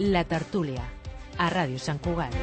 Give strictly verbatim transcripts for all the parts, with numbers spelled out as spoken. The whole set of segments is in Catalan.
La Tertúlia, a Ràdio Sant Cugat.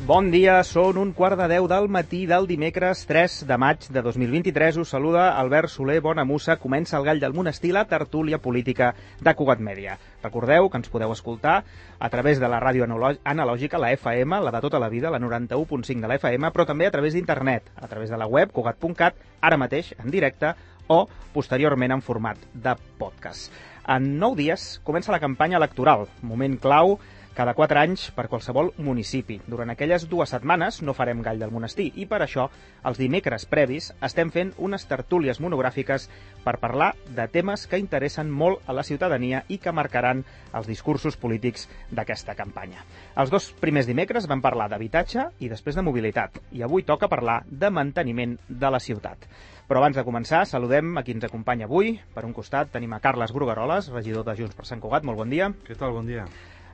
Bon dia, són un quart de deu del matí del dimecres tres de maig de dos mil vint-i-tres. Us saluda Albert Soler Bonamussa. Comença el Gall del Monestir, la tertúlia política de Cugat Mèdia. Recordeu que ens podeu escoltar a través de la ràdio analògica, la F M, la de tota la vida, la noranta-u punt cinc de la F M, però també a través d'internet, a través de la web cugat punt cat, ara mateix en directe o posteriorment en format de podcast. En nou dies comença la campanya electoral, moment clau cada quatre anys per qualsevol municipi. Durant aquelles dues setmanes no farem Gall del Monestir i per això els dimecres previs estem fent unes tertúlies monogràfiques per parlar de temes que interessen molt a la ciutadania i que marcaran els discursos polítics d'aquesta campanya. Els dos primers dimecres vam parlar d'habitatge i després de mobilitat i avui toca parlar de manteniment de la ciutat. Però abans de començar, saludem a qui ens acompanya avui. Per un costat tenim a Carles Brugueroles, regidor de Junts per Sant Cugat. Molt bon dia. Què tal? Bon dia.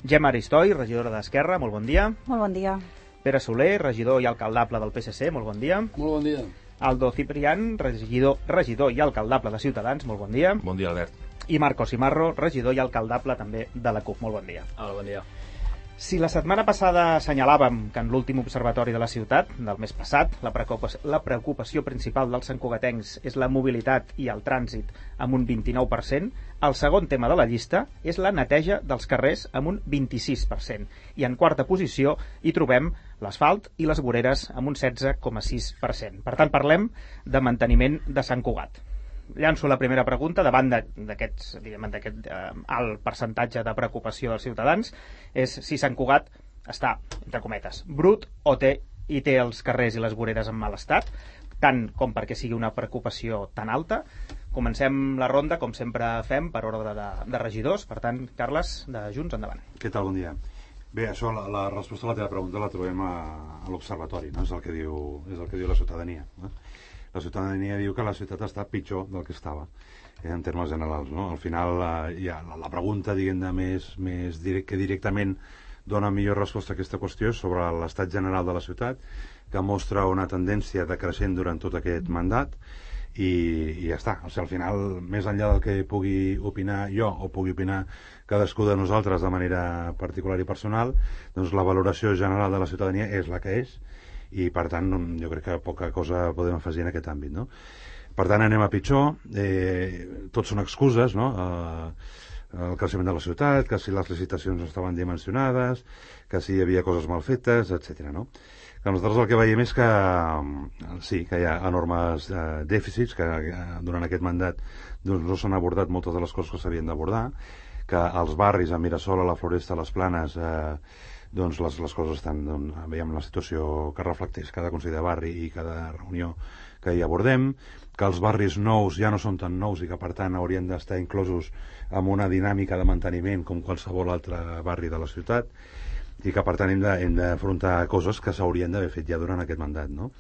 Gemma Aristoi, regidora d'Esquerra, molt bon dia. Molt bon dia. Pere Soler, regidor i alcaldable del P S C, molt bon dia. Molt bon dia. Aldo Ciprián, regidor, regidor i alcaldable de Ciutadans, molt bon dia. Bon dia, Albert. I Marcos Cimarro, regidor i alcaldable també de la CUP, molt bon dia. Hola, bon dia. Si la setmana passada assenyalàvem que en l'últim observatori de la ciutat, del mes passat, la preocupació, la preocupació principal dels santcugatencs és la mobilitat i el trànsit amb un vint-i-nou per cent, el segon tema de la llista és la neteja dels carrers amb un vint-i-sis per cent. I en quarta posició hi trobem l'asfalt i les voreres amb un setze coma sis per cent. Per tant, parlem de manteniment de Sant Cugat. Llanço la primera pregunta davant d'aquest eh, alt percentatge de preocupació dels ciutadans, és si Sant Cugat està, entre cometes, brut o té i té els carrers i les voreres en mal estat, tant com perquè sigui una preocupació tan alta. Comencem la ronda, com sempre fem, per ordre de, de regidors. Per tant, Carles, de Junts, endavant. Què tal? Bon dia. Bé, això, la, la resposta a la teva pregunta la trobem a, a l'observatori, no? És el que diu, és el que diu la ciutadania, no? La ciutadania diu que la ciutat està pitjor del que estava, eh, en termes generals, no? Al final, eh, ja, la, la pregunta, diguem-ne, més, més direct, que directament dona millor resposta a aquesta qüestió és sobre l'estat general de la ciutat, que mostra una tendència decreixent durant tot aquest mandat, i, i ja està. O sigui, al final, més enllà del que pugui opinar jo o pugui opinar cadascú de nosaltres de manera particular i personal, doncs la valoració general de la ciutadania és la que és, i per tant jo crec que poca cosa podem afegir en aquest àmbit, no? Per tant anem a pitjor, eh, tots són excuses, no? Eh, el creixement de la ciutat, que si les licitacions no estaven dimensionades, que si hi havia coses mal fetes, etcètera, no? Que nosaltres el que veiem és que sí, que hi ha enormes eh, dèficits, que eh, durant aquest mandat doncs, no s'han abordat moltes de les coses que s'havien d'abordar, que als barris, a Mirasol, a la Floresta, a les Planes, eh, doncs les, les coses estan, doncs, veiem la situació que reflecteix cada consell de barri i cada reunió que hi abordem, que els barris nous ja no són tan nous i que per tant haurien d'estar inclosos en una dinàmica de manteniment com qualsevol altre barri de la ciutat, i que per tant hem de, hem d'afrontar coses que s'haurien d'haver fet ja durant aquest mandat, no?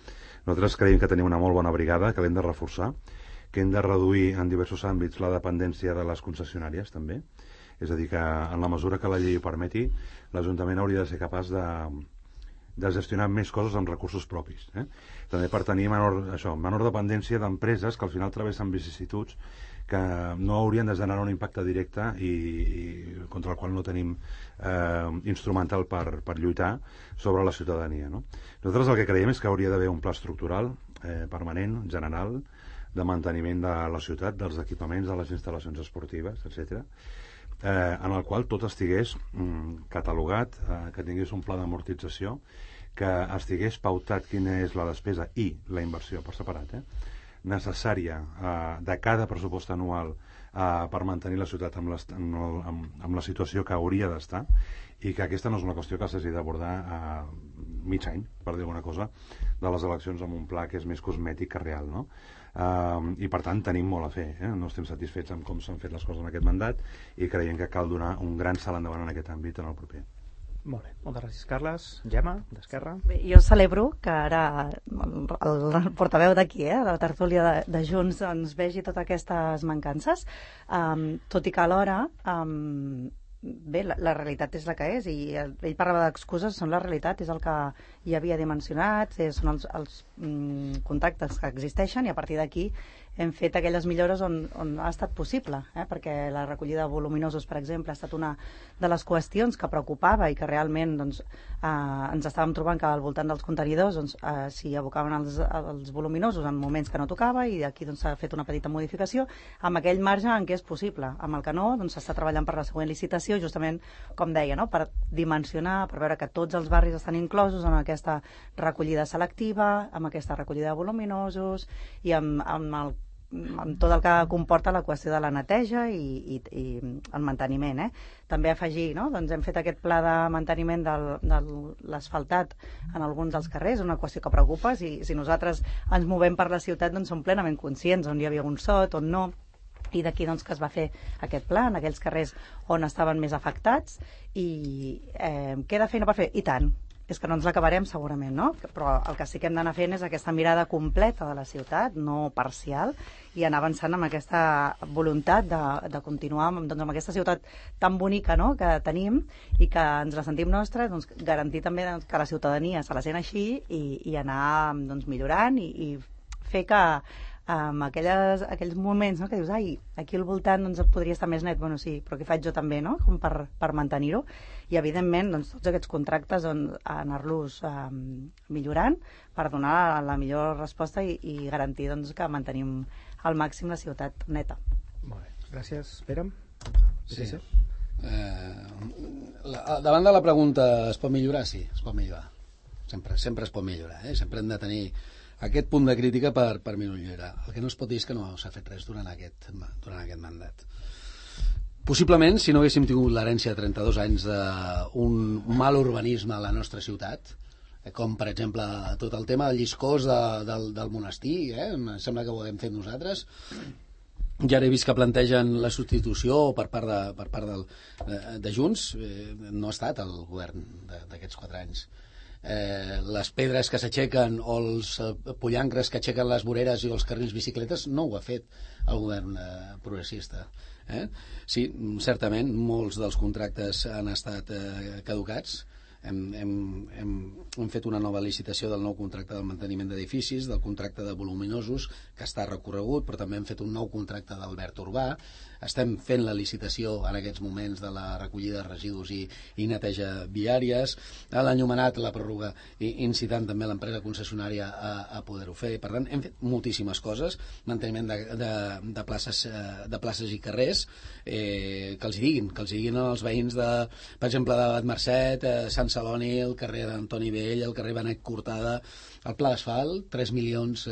Nosaltres creiem que tenim una molt bona brigada, que l'hem de reforçar, que hem de reduir en diversos àmbits la dependència de les concessionàries també. És a dir, que en la mesura que la llei ho permeti, l'Ajuntament hauria de ser capaç de, de gestionar més coses amb recursos propis. Eh? També per tenir menor, això, menor dependència d'empreses que al final travessen vicissituds que no haurien de generar un impacte directe i, i contra el qual no tenim eh, instrumental per, per lluitar sobre la ciutadania. No? Nosaltres el que creiem és que hauria d'haver un pla estructural eh, permanent, general, de manteniment de la ciutat, dels equipaments, de les instal·lacions esportives, etcètera, Eh, en el qual tot estigués mm, catalogat, eh, que tingués un pla d'amortització, que estigués pautat quina és la despesa i la inversió per separat, eh, necessària eh, de cada pressupost anual eh, per mantenir la ciutat amb, les, amb, el, amb, amb la situació que hauria d'estar, i que aquesta no és una qüestió que s'hagi d'abordar a mig any, per dir alguna cosa, de les eleccions amb un pla que és més cosmètic que real, no? Uh, i per tant tenim molt a fer, eh? No estem satisfets amb com s'han fet les coses en aquest mandat i creiem que cal donar un gran salt endavant en aquest àmbit en el proper. Molt bé, moltes gràcies, Carles. Gemma, d'Esquerra. Bé, jo celebro que ara el, el portaveu d'aquí, eh, de la tertúlia de, de Junts, ens vegi totes aquestes mancances, um, tot i que alhora um, bé, la, la realitat és la que és, i ell parlava d'excuses, són la realitat, és el que hi havia dimensionat, són els, els mm, contactes que existeixen, i a partir d'aquí hem fet aquelles millores on, on ha estat possible, eh? Perquè la recollida de voluminosos, per exemple, ha estat una de les qüestions que preocupava i que realment doncs, eh, ens estàvem trobant que al voltant dels contenidors doncs, eh, s'hi abocaven els, els voluminosos en moments que no tocava, i aquí doncs, s'ha fet una petita modificació amb aquell marge en què és possible. Amb el que no, doncs, s'està treballant per la següent licitació, justament, com deia, no? Per dimensionar, per veure que tots els barris estan inclosos en aquesta recollida selectiva, amb aquesta recollida de voluminosos i amb, amb el amb tot el que comporta la qüestió de la neteja i, i, i el manteniment. Eh? També afegir, no? Doncs hem fet aquest pla de manteniment del, de l'asfaltat en alguns dels carrers, una qüestió que preocupa. Si, si nosaltres ens movem per la ciutat, doncs som plenament conscients on hi havia un sot, on no, i d'aquí doncs, que es va fer aquest pla en aquells carrers on estaven més afectats. I eh, queda feina per fer? I tant. És que no ens l'acabarem segurament, no? Però el que sí que hem d'anar fent és aquesta mirada completa de la ciutat, no parcial, i anar avançant amb aquesta voluntat de, de continuar amb, doncs, amb aquesta ciutat tan bonica, no?, que tenim i que ens la sentim nostra, doncs, garantir també doncs, que la ciutadania se la sent així i, i anar doncs, millorant i, i fer que amb aquelles, aquells moments, no?, que dius, ai, aquí al voltant doncs, podria estar més net, bueno, sí, però què faig jo també, no?, com per, per mantenir-ho, i evidentment doncs, tots aquests contractes on anar-los eh, millorant per donar la millor resposta i, i garantir doncs, que mantenim al màxim la ciutat neta. Molt bé, gràcies. Pere? Sí. sí. Eh, la, davant de la pregunta, es pot millorar? Sí, es pot millorar. Sempre, sempre es pot millorar, eh? Sempre hem de tenir aquest punt de crítica per, per millorar. El que no es pot dir és que no s'ha fet res durant aquest, durant aquest mandat. Possiblement, si no haguéssim tingut l'herència de trenta-dos anys d'un mal urbanisme a la nostra ciutat, com per exemple tot el tema del lliscós de, del, del monestir, eh? Em sembla que ho hem fet nosaltres. Ja he vist que plantegen la substitució per part de, per part del, de, de Junts. Eh, no ha estat el govern d'aquests quatre anys. Eh, les pedres que s'aixequen o els eh, pollancres que aixequen les voreres i els carrils bicicletes no ho ha fet el govern eh, progressista. Eh? Sí, certament, molts dels contractes han estat eh, caducats. Hem, hem, hem, hem fet una nova licitació del nou contracte del manteniment d'edificis, del contracte de voluminosos, que està recorregut, però també hem fet un nou contracte d'Albert Urbà. Estem fent la licitació en aquests moments de la recollida de residus i, i neteja viàries. L'enllumenat, la pròrroga, incitant també l'empresa concessionària a, a poder-ho fer. Per tant, hem fet moltíssimes coses. Manteniment de, de, de, places, de places i carrers, eh, que els diguin, que els diguin als veïns de, per exemple, de Bat Mercet, eh, Sant Celoni, el carrer d'Antoni Vell, el carrer Benet Cortada, el pla d'asfalt, tres milions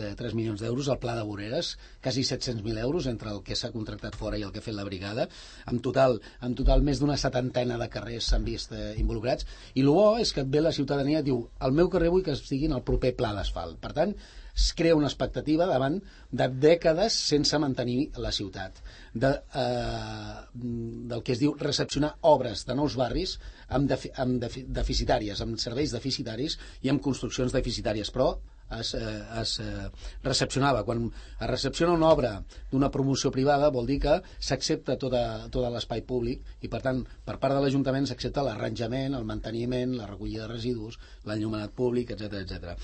d'euros, el pla de voreres, quasi set-cents mil euros entre el que s'ha contractat fora i el que ha fet la brigada. En total, en total més d'una setantena de carrers s'han vist eh, involucrats, i el bo és que ve la ciutadania i diu, el meu carrer vull que estigui en el proper pla d'asfalt. Per tant, es crea una expectativa davant de dècades sense mantenir la ciutat, de, eh, del que es diu recepcionar obres de nous barris amb, defi, amb defi, deficitàries, amb serveis deficitaris i amb construccions deficitàries, però es, eh, es eh, recepcionava. Quan es recepciona una obra d'una promoció privada vol dir que s'accepta tot, tot l'espai públic i, per tant, per part de l'Ajuntament s'accepta l'arranjament, el manteniment, la recollida de residus, l'enllumenat públic, etcètera, etcètera.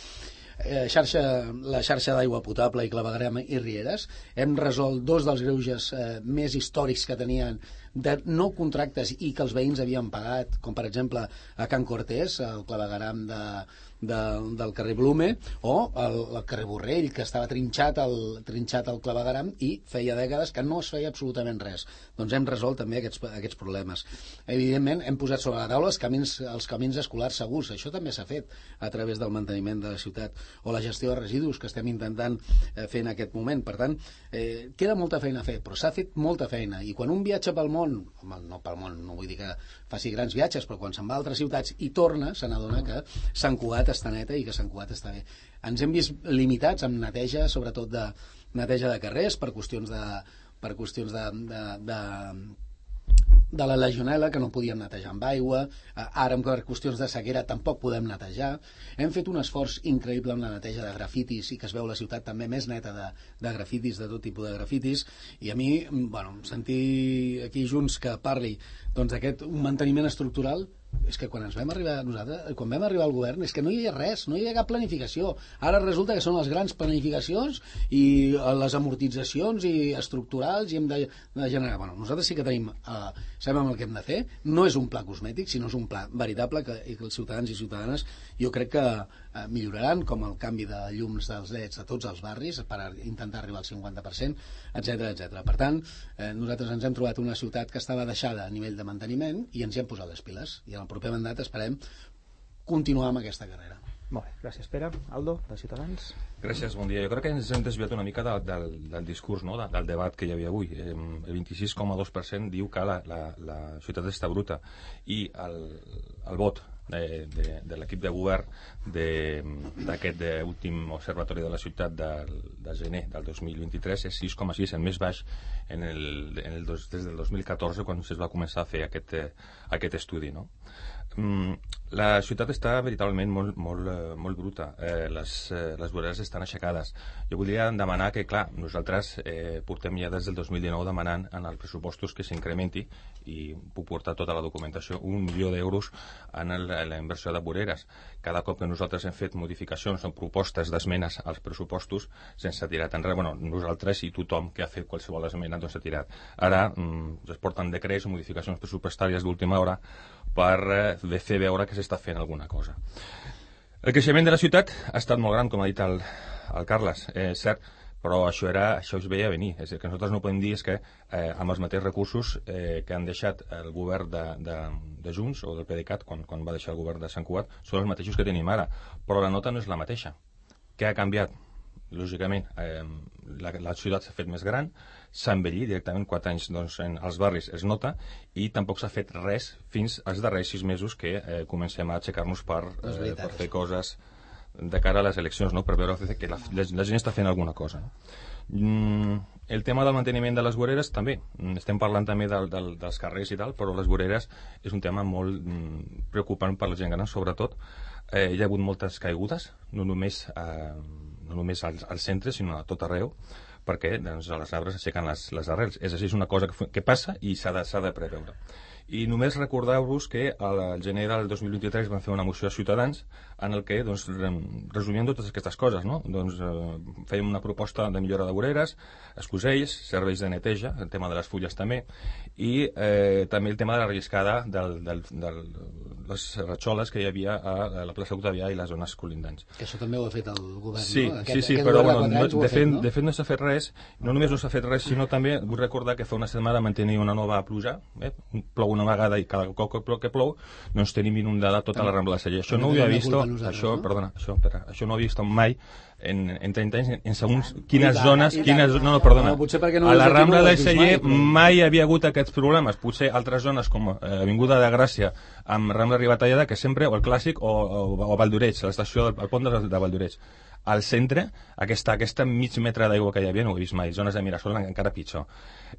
Eh, xarxa, la xarxa d'aigua potable i clavegueram i rieres. Hem resolt dos dels greuges eh, més històrics que tenien de no contractes i que els veïns havien pagat, com per exemple a Can Cortés, el clavegueram de, de, del carrer Blume, o el, el carrer Borrell, que estava trinxat el, trinxat el clavegueram i feia dècades que no es feia absolutament res. Doncs hem resolt també aquests, aquests problemes. Evidentment, hem posat sobre la taula els camins, els camins escolars segurs. Això també s'ha fet a través del manteniment de la ciutat, o la gestió de residus que estem intentant eh, fer en aquest moment. Per tant, eh, queda molta feina a fer, però s'ha fet molta feina, i quan un viatja pel món, home, no pel món, no vull dir que faci grans viatges, però quan se'n va a altres ciutats i torna, se n'adona que Sant Cugat està neta i que Sant Cugat està bé. Ens hem vist limitats amb neteja, sobretot de neteja de carrers, per qüestions de per qüestions de, de, de de la legionel·la, que no podíem netejar amb aigua, ara amb qüestions de sequera tampoc podem netejar. Hem fet un esforç increïble amb la neteja de grafitis i que es veu la ciutat també més neta de, de grafitis, de tot tipus de grafitis, i a mi, bueno, sentir aquí Junts que parli doncs d'aquest manteniment estructural, és que quan ens vam arribar nosaltres, quan vam arribar al govern, és que no hi havia res, no hi havia cap planificació. Ara resulta que són les grans planificacions i les amortitzacions i estructurals i hem de, de generar. Bueno, nosaltres sí que tenim, eh, sabem el que hem de fer, no és un pla cosmètic, sinó és un pla veritable que, que els ciutadans i ciutadanes jo crec que eh, milloraran, com el canvi de llums dels leds a tots els barris per intentar arribar al cinquanta per cent, etcètera etcètera. Per tant, eh, nosaltres ens hem trobat una ciutat que estava deixada a nivell de manteniment i ens hi hem posat les piles, i en el proper mandat esperem continuar amb aquesta carrera. Molt bé, gràcies Pere. Aldo, de Ciutadans. Gràcies, bon dia. Jo crec que ens hem desviat una mica del, del, del discurs, no? del, del debat que hi havia avui. El vint-i-sis coma dos per cent diu que la, la, la ciutat està bruta i el, el vot de, de, de l'equip de govern d'aquest últim observatori de la ciutat del, de gener del dos mil vint-i-tres és sis coma sis, el més baix en el, en el dos, des del dos mil catorze, quan es va començar a fer aquest, aquest estudi, no? La ciutat està veritablement molt, molt, molt bruta. Eh, les, eh, les voreres estan aixecades. Jo voldria demanar que, clar, nosaltres eh, portem ja des del dos mil dinou demanant en els pressupostos que s'incrementi, i puc portar tota la documentació, un milió d'euros en, el, en la inversió de voreres. Cada cop que nosaltres hem fet modificacions o propostes d'esmenes als pressupostos, sense tirar enrere, bueno, nosaltres i tothom que ha fet qualsevol esmena doncs s'ha tirat. Ara mm, es porten decrets o modificacions pressupostàries d'última hora per eh, fer veure que s'està fent alguna cosa. El creixement de la ciutat ha estat molt gran, com ha dit el, el Carles, eh, cert, però això, era, això es veia venir. És a dir, que nosaltres no podem dir és que eh, amb els mateixos recursos eh, que han deixat el govern de, de, de Junts o del PDeCAT quan, quan va deixar el govern de Sant Cugat són els mateixos que tenim ara, però la nota no és la mateixa. Què ha canviat? Lògicament, eh, la, la ciutat s'ha fet més gran, s'ha envellit directament, quatre anys doncs, en els barris es nota, i tampoc s'ha fet res fins als darrers sis mesos que eh, comencem a aixecar-nos per, eh, per fer coses de cara a les eleccions, no? Per veure que la, la, la gent està fent alguna cosa. No? Mm, el tema del manteniment de les voreres també, estem parlant també del, del, dels carrers i tal, però les voreres és un tema molt mm, preocupant per la gent gran, sobretot. Eh, hi ha hagut moltes caigudes, no només eh, no només al, al centre, sinó a tot arreu, perquè doncs, les arbres aixequen les, les arrels. És així, és una cosa que, que passa i s'ha de, s'ha de preveure. I només recordar-vos que al gener del dos mil vint-i-tres van fer una moció a Ciutadans en el que, doncs, resumien totes aquestes coses, no? Doncs eh, fèiem una proposta de millora de voreres, escusells, serveis de neteja, el tema de les fulles també, i eh, també el tema de la relliscada de les ratxoles que hi havia a la plaça Octavià i les zones colindants. Que això també ho ha fet el govern, sí, no? Aquest, sí, sí, però bueno, no, de, fet, no? de fet no s'ha fet res, no només no s'ha fet res, sinó també vull recordar que fa una setmana mantenir una nova pluja, eh? plou una vegada i cada cop que plou doncs tenim inundada tota la Rambla de Celler. Això no ho havia vist, això, no? perdona, això, pera, això no ho havia vist mai en, en trenta anys, en segons quines zones, quines, no, no, perdona, no, a la Rambla de Celler mai havia hagut aquests problemes. Potser altres zones com eh, Avinguda de Gràcia amb Rambla Ribatallada, que sempre, o el Clàssic o, o, o Valldoreix, l'estació del pont de, de Valldoreix. Al centre, aquesta, aquesta mig metre d'aigua que hi havia no ho he vist mai, zones de Mirasol encara pitjor.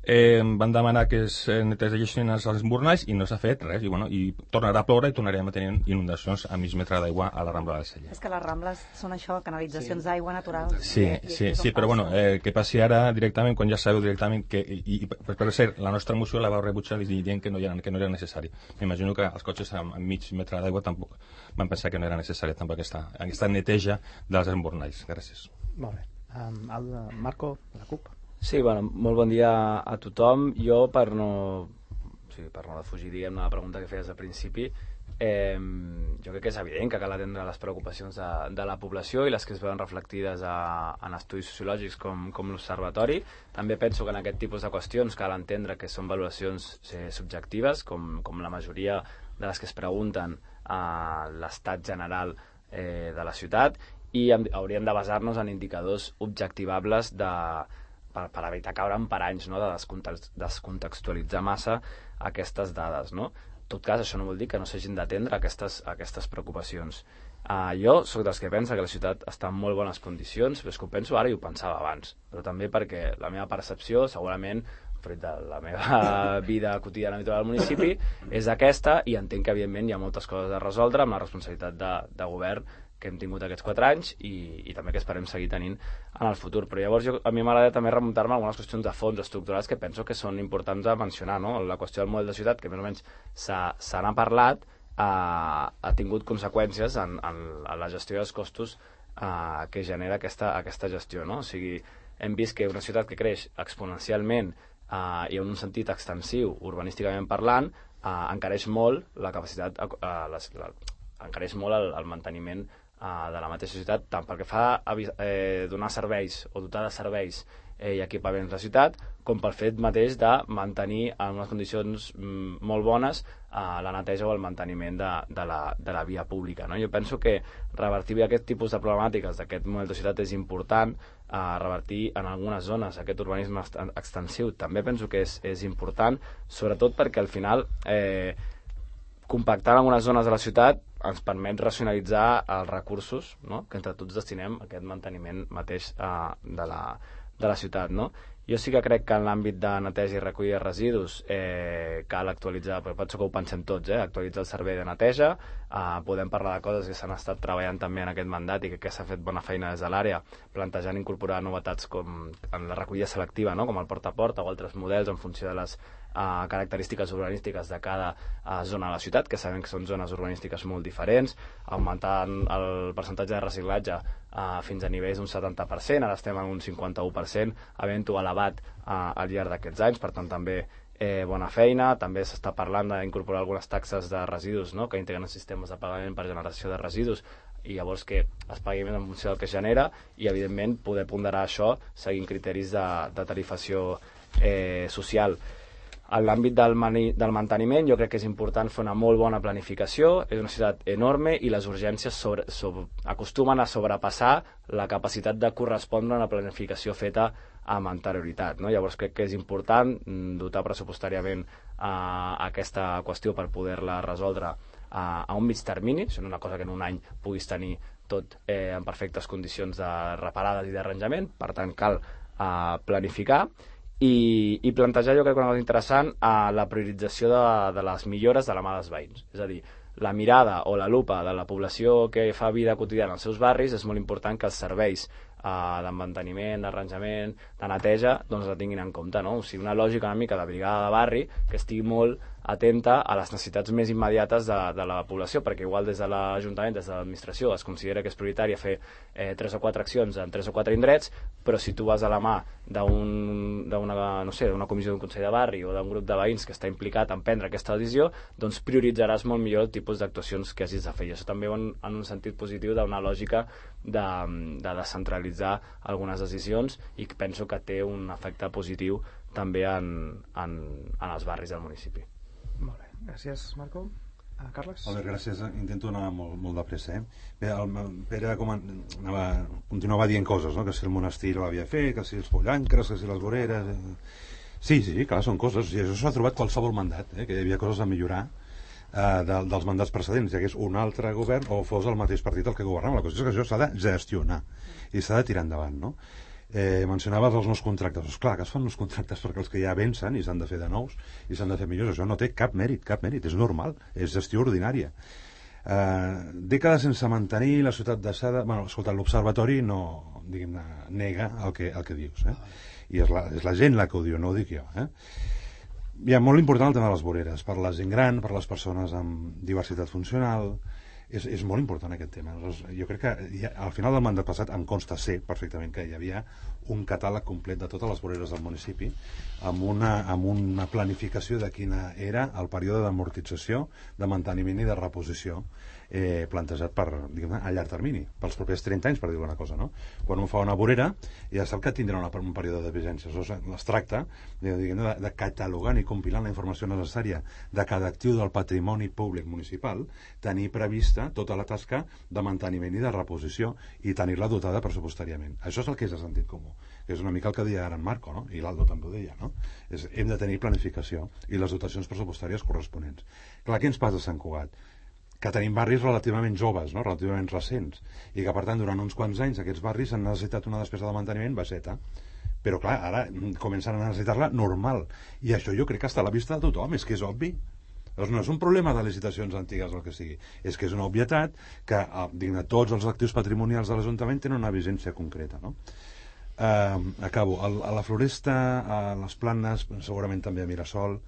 Eh, van demanar que es netegessin els esbornalls i no s'ha fet res, i, bueno, i tornarà a ploure i tornarem a tenir inundacions a mig metre d'aigua a la Rambla del Celler. És que les Rambles són això, canalitzacions sí. d'aigua natural. Sí, i, sí, i sí, però bueno, eh, que passi ara directament, quan ja sabeu directament que, i, i per, per cert, la nostra moció la vau rebutjar i dient que no era, que no era necessari. M'imagino que els cotxes a, a mig metre d'aigua tampoc van pensar que no era necessària tampoc aquesta, aquesta neteja dels esbornalls. Gràcies. Molt bé. Um, el Marco, de la CUP. Sí, bueno, molt bon dia a tothom. Jo, per no, sí, per no defugir, diguem-ne, la pregunta que feies al principi, eh, jo crec que és evident que cal atendre les preocupacions de, de la població i les que es veuen reflectides a, en estudis sociològics com, com l'Observatori. També penso que en aquest tipus de qüestions cal entendre que són valoracions eh, subjectives, com, com la majoria de les que es pregunten a l'estat general eh, de la ciutat, i hauríem de basar-nos en indicadors objectivables de, per, per evitar caure en paranys, no? De descontextualitzar massa aquestes dades, no? En tot cas, això no vol dir que no s'hagin d'atendre aquestes, aquestes preocupacions. Uh, jo sóc dels que pensa que la ciutat està en molt bones condicions, però és que ho penso ara i ho pensava abans, però també perquè la meva percepció, segurament fruit de la meva vida quotidiana habitual al municipi, és aquesta, i entenc que evidentment hi ha moltes coses a resoldre amb la responsabilitat de, de govern que hem tingut aquests quatre anys i, i també que esperem seguir tenint en el futur. Però llavors jo, a mi m'agrada també remuntar-me a algunes qüestions de fons estructurals que penso que són importants de mencionar, no? La qüestió del model de ciutat, que més o menys se n'ha parlat, ha, ha tingut conseqüències en, en, en la gestió dels costos eh, que genera aquesta, aquesta gestió, no? O sigui, hem vist que una ciutat que creix exponencialment eh, i en un sentit extensiu, urbanísticament parlant, eh, encareix molt la capacitat, eh, les, la, encareix molt el, el manteniment Uh, de la mateixa ciutat, tant pel que fa a eh, donar serveis o dotar de serveis eh, i equipaments la ciutat, com pel fet mateix de mantenir en unes condicions mm, molt bones uh, la neteja o el manteniment de, de, la, de la via pública, no? Jo penso que revertir aquest tipus de problemàtiques d'aquest model de ciutat és important, uh, revertir en algunes zones aquest urbanisme extensiu també penso que és, és important, sobretot perquè al final eh, compactar en algunes zones de la ciutat ens permet racionalitzar els recursos, no?, que entre tots destinem a aquest manteniment mateix eh, de, la, de la ciutat, no? Jo sí que crec que en l'àmbit de neteja i recollida de residus eh, cal actualitzar, però penso que ho pensem tots, eh, actualitzar el servei de neteja, eh, podem parlar de coses que s'han estat treballant també en aquest mandat i que, que s'ha fet bona feina des de l'àrea, plantejant incorporar novetats com en la recollida selectiva, no?, com el porta a porta o altres models en funció de les Uh, característiques urbanístiques de cada uh, zona de la ciutat, que sabem que són zones urbanístiques molt diferents, augmentant el percentatge de reciclatge uh, fins a nivells d'un setanta per cent, ara estem en un cinquanta-u per cent, havent-ho elevat uh, al llarg d'aquests anys, per tant també eh, bona feina. També s'està parlant d'incorporar algunes taxes de residus, no?, que integren sistemes de pagament per generació de residus, i llavors que es pagui més en funció del que es genera i evidentment poder ponderar això seguint criteris de, de tarifació eh, social. En l'àmbit del, del manteniment jo crec que és important fer una molt bona planificació, és una ciutat enorme i les urgències sobre, sobre, acostumen a sobrepassar la capacitat de correspondre a una planificació feta amb anterioritat, no? Llavors crec que és important dotar pressupostàriament a aquesta qüestió per poder-la resoldre a, a un mig termini, això no és una cosa que en un any puguis tenir tot eh, en perfectes condicions de reparades i d'arranjament, per tant cal eh, planificar I, i plantejar, jo crec que una cosa interessant, a la priorització de, de les millores de la mà dels veïns. És a dir, la mirada o la lupa de la població que fa vida quotidiana als seus barris és molt important que els serveis eh, de manteniment, d'arranjament, de neteja, doncs la tinguin en compte, no? O sigui, una lògica una mica de brigada de barri que estigui molt atenta a les necessitats més immediates de, de la població, perquè igual des de l'Ajuntament, des de l'administració, es considera que és prioritari fer eh, tres o quatre accions en tres o quatre indrets, però si tu vas a la mà d'una no sé, d'una comissió d'un consell de barri o d'un grup de veïns que està implicat en prendre aquesta decisió, doncs prioritzaràs molt millor el tipus d'actuacions que hagis de fer. I això també en, en un sentit positiu d'una lògica de, de descentralitzar algunes decisions i que penso que té un efecte positiu també en, en, en els barris del municipi. Molt bé, gràcies Marco. Uh, Carles? Molt bé, gràcies. Intento anar molt, molt de pressa. Eh? Bé, el Pere com anava, continuava dient coses, no? Que si el monestir l'havia fet, que si els pollancres, que si les voreres... Eh? Sí, sí, clar, són coses. I això s'ha trobat qualsevol mandat, eh? Que hi havia coses a millorar eh, de, dels mandats precedents, ja que és un altre govern o fos el mateix partit el que governava. La qüestió és que això s'ha de gestionar i s'ha de tirar endavant, no? Eh, mencionaves els nous contractes. Doncs clar, que es fan nous contractes perquè els que ja vencen i s'han de fer de nous i s'han de fer millors. Això no té cap mèrit, cap mèrit, és normal, és gestió ordinària. Eh, dècades sense mantenir la ciutat deixada... Bueno, escolta, l'observatori no, diguem-ne, nega el que, el que dius, eh? I és la, és la gent la que ho diu, no ho dic jo, eh? Hi ha molt important el tema de les voreres, per la gent gran, per les persones amb diversitat funcional... És, és molt important aquest tema. Jo crec que ja, al final del mandat passat em consta ser perfectament que hi havia un catàleg complet de totes les voreres del municipi amb una, amb una planificació de quina era el període d'amortització, de manteniment i de reposició eh, plantejat per, diguem-ne, a llarg termini, pels propers trenta anys, per dir una cosa, no? Quan un fa una vorera ja sap que tindrà una, un període de vigència. Es tracta de, de, de catalogant i compilant la informació necessària de cada actiu del patrimoni públic municipal, tenir prevista tota la tasca de manteniment i de reposició i tenir-la dotada pressupostàriament. Això és el que és de sentit comú, que és una mica el que deia ara en Marco, no? I l'Aldo també ho deia, no? És, hem de tenir planificació i les dotacions pressupostàries corresponents. Clar, què ens passa a Sant Cugat? Que tenim barris relativament joves, no? Relativament recents, i que per tant durant uns quants anys aquests barris han necessitat una despesa de manteniment baixeta, però clar, ara comencen a necessitar-la normal, i això jo crec que està a la vista de tothom, és que és obvi. Doncs no és un problema de licitacions antigues o el que sigui, és que és una obvietat que digne, tots els actius patrimonials de l'Ajuntament tenen una vigència concreta, no? Uh, acabo, a, a la Floresta, a les Planes, segurament també a Mirasol,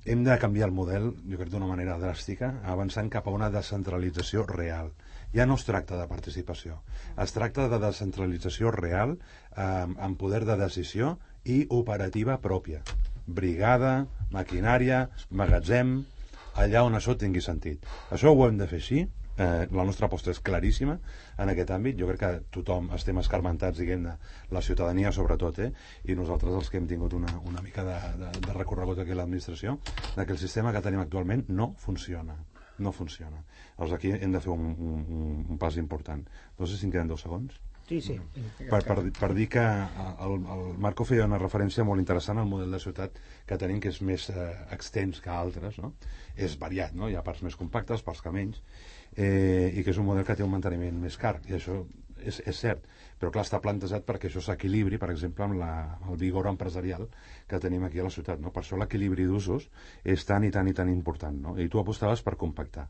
hem de canviar el model, jo crec d'una manera dràstica, avançant cap a una descentralització real. Ja no es tracta de participació, es tracta de descentralització real, eh, amb poder de decisió i operativa pròpia. Brigada, maquinària, magatzem, allà on això tingui sentit. Això ho hem de fer així, eh, la nostra aposta és claríssima en aquest àmbit, jo crec que tothom estem escarmentats, diguem-ne, la ciutadania sobretot, eh? I nosaltres els que hem tingut una, una mica de, de, de recorregut aquí a l'administració, que el sistema que tenim actualment no funciona. No funciona. Llavors aquí hem de fer un, un, un pas important. No sé si em queden deu segons. Sí, sí. Per, per, per dir que el, el Marco feia una referència molt interessant al model de ciutat que tenim, que és més eh, extens que altres, no? És variat, no? Hi ha parts més compactes, parts que menys, eh, i que és un model que té un manteniment més car, i això és, és cert, però clar, està plantejat perquè això s'equilibri, per exemple, amb la, el vigor empresarial que tenim aquí a la ciutat, no? Per això l'equilibri d'usos és tan i tan i tan important, no? I tu apostaves per compactar,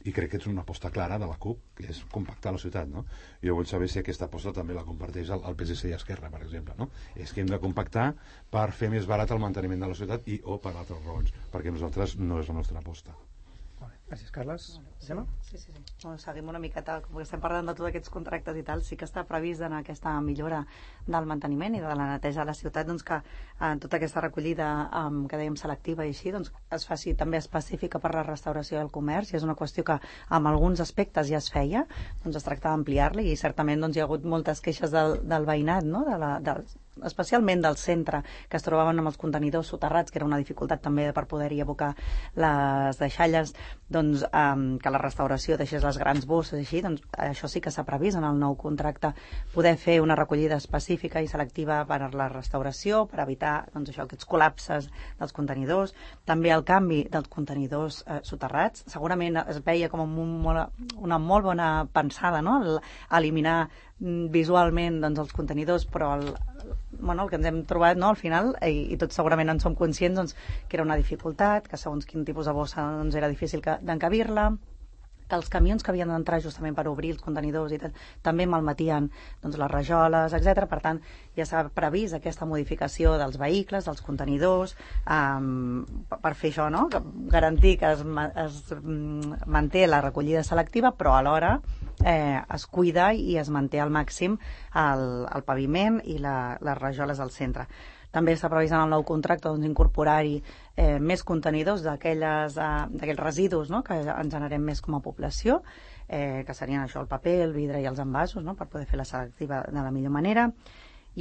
i crec que és una aposta clara de la CUP, que és compactar la ciutat, no? Jo vull saber si aquesta aposta també la comparteix el, el P S C i Esquerra, per exemple, no? És que hem de compactar per fer més barat el manteniment de la ciutat i o per altres raons, perquè nosaltres no és la nostra aposta. Gràcies, Carles. Sí, sí, sí, sí. Bueno, seguim una miqueta, com que estem parlant de tots aquests contractes i tal, sí que està previst en aquesta millora del manteniment i de la neteja de la ciutat, doncs que en tota aquesta recollida um, que dèiem selectiva i així, doncs es faci també específica per la restauració del comerç, i és una qüestió que en alguns aspectes ja es feia, doncs es tracta d'ampliar-la, i certament doncs, hi ha hagut moltes queixes del, del veïnat, no? de la, de, especialment del centre, que es trobaven amb els contenidors soterrats, que era una dificultat també per poder-hi abocar les deixalles, doncs, um, que la restauració deixés les grans bosses, així, doncs això sí que s'ha previst en el nou contracte, poder fer una recollida específica i selectiva per a la restauració, per evitar doncs, això, aquests col·lapses dels contenidors, també el canvi dels contenidors eh, soterrats. Segurament es veia com un, una molt bona pensada, no? El, eliminar visualment doncs, els contenidors, però el, bueno, el que ens hem trobat, no, al final, i, i tots segurament en som conscients, doncs, que era una dificultat, que segons quin tipus de bossa doncs, era difícil d'encabir-la, que els camions que havien d'entrar justament per obrir els contenidors i tal, també malmetien doncs, les rajoles, etcètera. Per tant, ja s'ha previst aquesta modificació dels vehicles, dels contenidors, um, per fer això, no? Garantir que es, es manté la recollida selectiva, però alhora eh, es cuida i es manté al màxim el, el paviment i la, les rajoles al centre. També està previst en el nou contracte doncs, incorporar-hi eh, més contenidors d'aquells eh, residus, no? que ens generem més com a població, eh, que serien això, el paper, el vidre i els envasos, no? per poder fer la selectiva de la millor manera.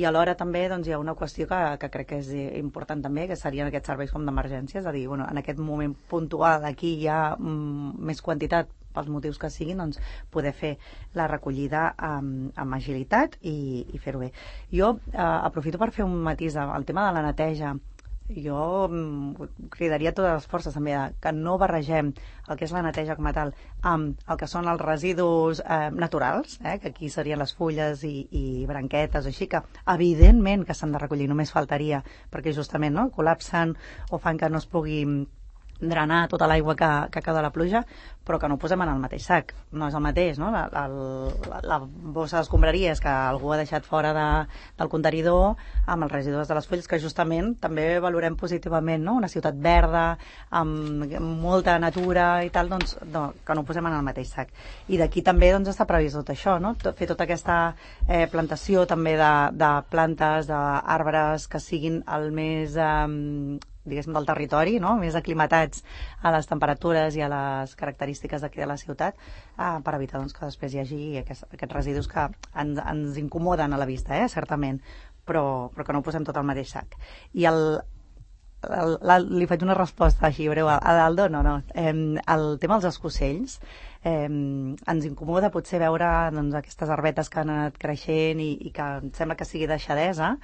I alhora també doncs, hi ha una qüestió que, que crec que és important també, que serien aquests serveis com d'emergència, és a dir, bueno, en aquest moment puntual aquí hi ha mm, més quantitat pels motius que siguin, doncs poder fer la recollida amb, amb agilitat i, i fer-ho bé. Jo eh, aprofito per fer un matís al tema de la neteja. Jo mm, cridaria totes les forces també que no barregem el que és la neteja com a tal amb el que són els residus eh, naturals, eh, que aquí serien les fulles i, i branquetes, així que evidentment que s'han de recollir, només faltaria, perquè justament no, col·lapsen o fan que no es pugui drenar tota l'aigua que, que cau de la pluja, però que no ho posem en el mateix sac. No és el mateix, no? La, la, la bossa d'escombraries que algú ha deixat fora de, del contenidor amb els residus de les fulles, que justament també valorem positivament, no? Una ciutat verda, amb molta natura i tal, doncs no, que no ho posem en el mateix sac. I d'aquí també doncs, està previst tot això, no? Fer tota aquesta eh, plantació també de, de plantes, d'arbres que siguin el més... Eh, diguéssim, del territori, no? Més aclimatats a les temperatures i a les característiques d'aquí de la ciutat, eh, per evitar doncs, que després hi hagi aquests, aquests residus que ens, ens incomoden a la vista, eh, certament, però, però que no ho posem tot al mateix sac. I el, el, el, li faig una resposta així breu a l'Aldo, no, no. Eh, el tema dels escocells, eh, ens incomoda potser veure doncs, aquestes arbetes que han anat creixent i, i que em sembla que sigui deixadesa,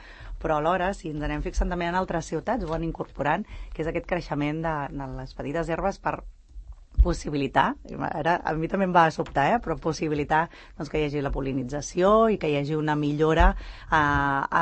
però alhora, si ens anem fixant també en altres ciutats, ho van incorporant, que és aquest creixement de, de les petites herbes per possibilitar, ara a mi també em va sobtar, eh, però possibilitar doncs, que hi hagi la pol·linització i que hi hagi una millora eh,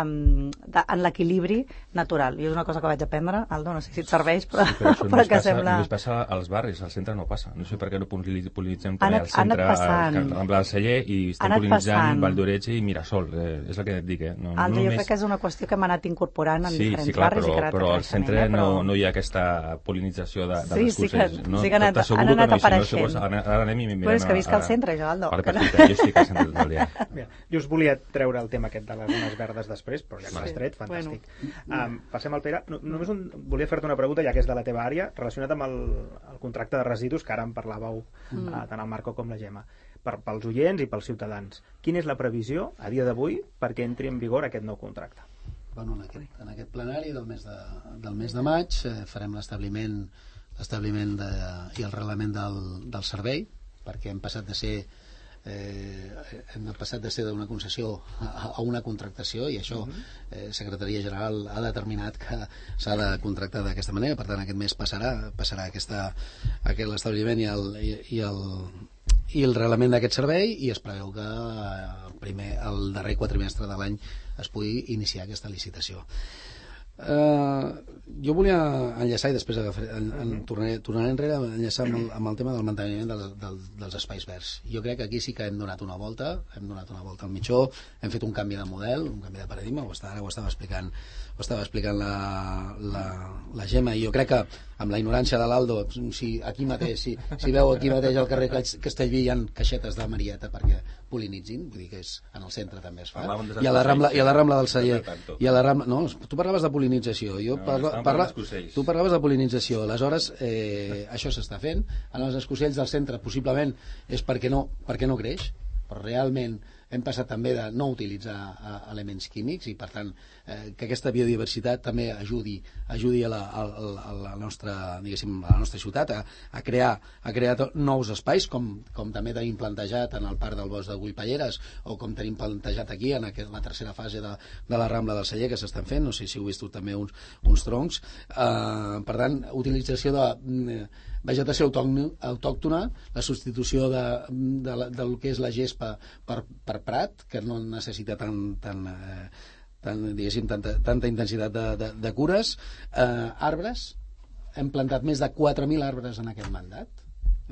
en, de, en l'equilibri natural. I és una cosa que vaig aprendre, Aldo, no sé si et serveix, però, sí, però, però que passa, sembla... només passa als barris, al centre no passa. No sé per què no pol·linitzem també anat, al centre, al Rambla del Celler, i estem pol·linitzant Vall d'Oretge i Mirasol. Eh, és el que et dic, eh? No, Aldo, no jo només... crec que és una qüestió que hem anat incorporant en sí, diferents sí, clar, barris però, i que ara però al centre eh, però... no, no hi ha aquesta pol·linització de, de sí, les cursers. Sí, que, no? sí que han anat, han anat apareixent. No, ara, ara anem i mirem... Però és que visc al centre, jo, Aldo. Vale, perfecte, jo estic al centre del dia. Bé, jo us volia treure el tema aquest de les zones verdes després, però ja que l'has tret, fantàstic. Bueno. Um, passem al Pere. No, només un, volia fer-te una pregunta, ja que és de la teva àrea, relacionat amb el, el contracte de residus, que ara en parlàveu mm. uh, tant el Marco com la Gemma. Per, pels oients i pels ciutadans. Quina és la previsió, a dia d'avui, perquè entri en vigor aquest nou contracte? Bueno, en, aquest, en aquest plenari del mes de, del mes de maig eh, farem l'establiment l'establiment de, i el reglament del, del servei, perquè hem passat de ser eh, hem passat de ser d'una concessió a, a una contractació, i això eh, Secretaria General ha determinat que s'ha de contractar d'aquesta manera. Per tant, aquest mes passarà passarà aquesta, aquest l'establiment i el, i, i el i el reglament d'aquest servei, i es preveu que el, primer, el darrer quatrimestre de l'any es pugui iniciar aquesta licitació. Uh, jo volia enllaçar, i després agafar, en, en, tornaré, tornaré enrere, enllaçar amb el, amb el tema del manteniment del, del, dels espais verds. Jo crec que aquí sí que hem donat una volta, hem donat una volta al mitjó, hem fet un canvi de model, un canvi de paradigma, ho estava, ara ho estava explicant, ho estava explicant la, la, la Gemma, i jo crec que amb la ignorància de l'Aldo, si aquí mateix, si, si veu aquí mateix al carrer Castellví hi ha caixetes de Marieta perquè pol·linitzin, vull dir que és, en el centre també es fa, i a la Rambla, i a la Rambla del Celler, i a la Rambla, no, tu parlaves de pol·linització, jo no, parla, parla, tu parlaves de pol·linització, aleshores eh, això s'està fent, en els escocells del centre possiblement és perquè no, perquè no creix, però realment hem passat també de no utilitzar uh, elements químics, i per tant eh, que aquesta biodiversitat també ajudi, ajudi a, la, a, a, la nostra, diguéssim, a la nostra ciutat a, a crear, a crear nous espais, com, com també tenim plantejat en el parc del Bosc de Gullpalleres, o com tenim plantejat aquí en aquest, la tercera fase de, de la Rambla del Celler, que s'estan fent, no sé si heu vist també uns, uns troncs. Eh, per tant, utilització de eh, vegetació autòctona, la substitució de, de, de, del que és la gespa per, per prat, que no necessita tan, tan, eh, tan, diguéssim, tanta, tanta intensitat de, de, de cures, eh, arbres, hem plantat més de quatre mil arbres en aquest mandat,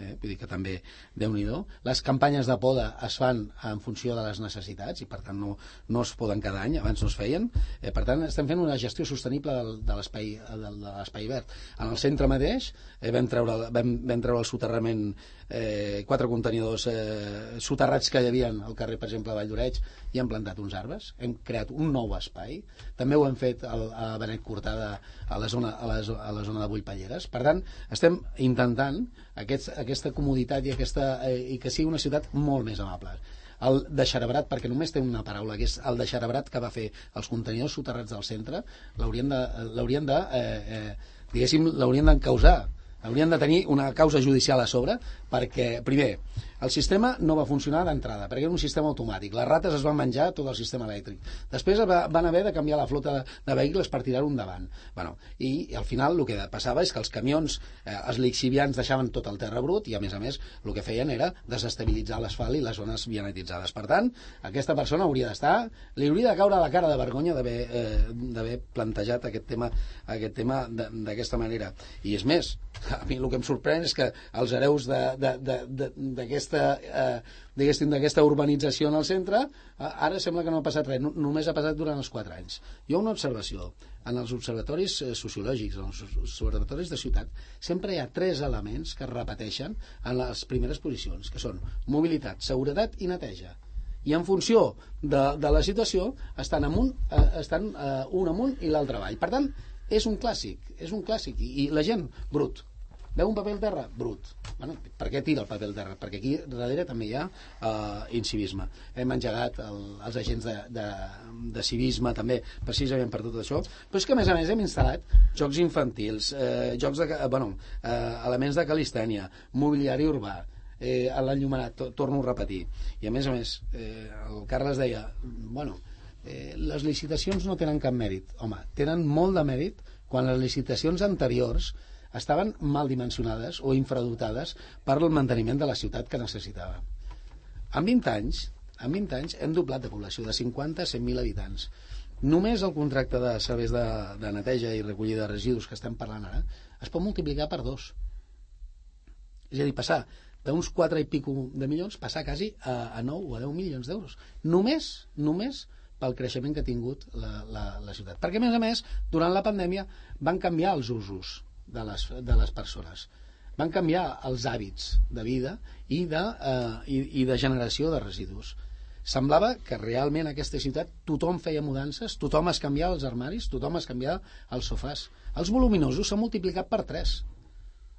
eh, vull dir que també Déu-n'hi-do. Les campanyes de poda es fan en funció de les necessitats i per tant no, no es poden cada any, abans no es feien, eh, per tant estem fent una gestió sostenible del, de l'espai de l'espai verd. En el centre mateix eh, vam, treure, vam, vam treure el soterrament, eh, quatre contenidors eh, soterrats que hi havia al carrer, per exemple, a Vall d'Oreig, i hem plantat uns arbres, hem creat un nou espai, també ho hem fet al, a Benet Cortada, a la zona, a la, a la zona de Bullpalleres. Per tant, estem intentant aquest, aquesta comoditat i, aquesta, eh, i que sigui una ciutat molt més amable. El deixarabrat, perquè només té una paraula, que és el deixarabrat que va fer els contenidors soterrats del centre, l'haurien de, l'haurien de eh, eh, diguéssim, l'haurien d'encausar, haurien de tenir una causa judicial a sobre, perquè, primer, el sistema no va funcionar d'entrada, perquè era un sistema automàtic. Les rates es van menjar tot el sistema elèctric. Després va, van haver de canviar la flota de, de vehicles per tirar-ho endavant. Bueno, i, i al final el que passava és que els camions, eh, els lixivians deixaven tot el terra brut, i a més a més el que feien era desestabilitzar l'asfalt i les zones vianetitzades. Per tant, aquesta persona hauria d'estar, li hauria de caure la cara de vergonya d'haver eh, plantejat aquest tema, aquest tema d'aquesta manera. I és més, a mi el que em sorprèn és que els hereus d'aquesta Eh, diguéssim, d'aquesta urbanització en el centre, eh, ara sembla que no ha passat res, no, només ha passat durant els quatre anys. Hi ha una observació en els observatoris eh, sociològics, en els observatoris de ciutat, sempre hi ha tres elements que es repeteixen en les primeres posicions, que són mobilitat, seguretat i neteja, i en funció de, de la situació estan, amunt, eh, estan eh, un amunt i l'altre avall. Per tant, és un clàssic, és un clàssic, i, i la gent, brut. Veu un paper al terra? Brut. Bueno, per què tira el paper al terra? Perquè aquí darrere també hi ha uh, incivisme. Hem engegat el, els agents de, de, de civisme també, precisament per tot això, però és que a més a més hem instal·lat jocs infantils, eh, jocs de, bueno, eh, elements de calistènia, mobiliari urbà, eh, a l'enllumenat, to, torno a repetir. I a més a més, eh, el Carles deia, bueno, eh, les licitacions no tenen cap mèrit. Home, tenen molt de mèrit quan les licitacions anteriors estaven mal dimensionades o infradotades per al manteniment de la ciutat que necessitava. En vint anys, en vint anys hem doblat de població, de cinquanta a cent mil habitants. Només el contracte de serveis de, de neteja i recollida de residus que estem parlant ara es pot multiplicar per dos. És a dir, passar d'uns quatre i pico de milions, passar quasi a, a nou o a deu milions d'euros. Només, només pel creixement que ha tingut la, la, la ciutat. Perquè, a més a més, durant la pandèmia van canviar els usos de les, de les persones. Van canviar els hàbits de vida i de, eh, i, i de generació de residus. Semblava que realment a aquesta ciutat tothom feia mudances, tothom es canviava els armaris, tothom es canviava els sofàs. Els voluminosos s'han multiplicat per tres.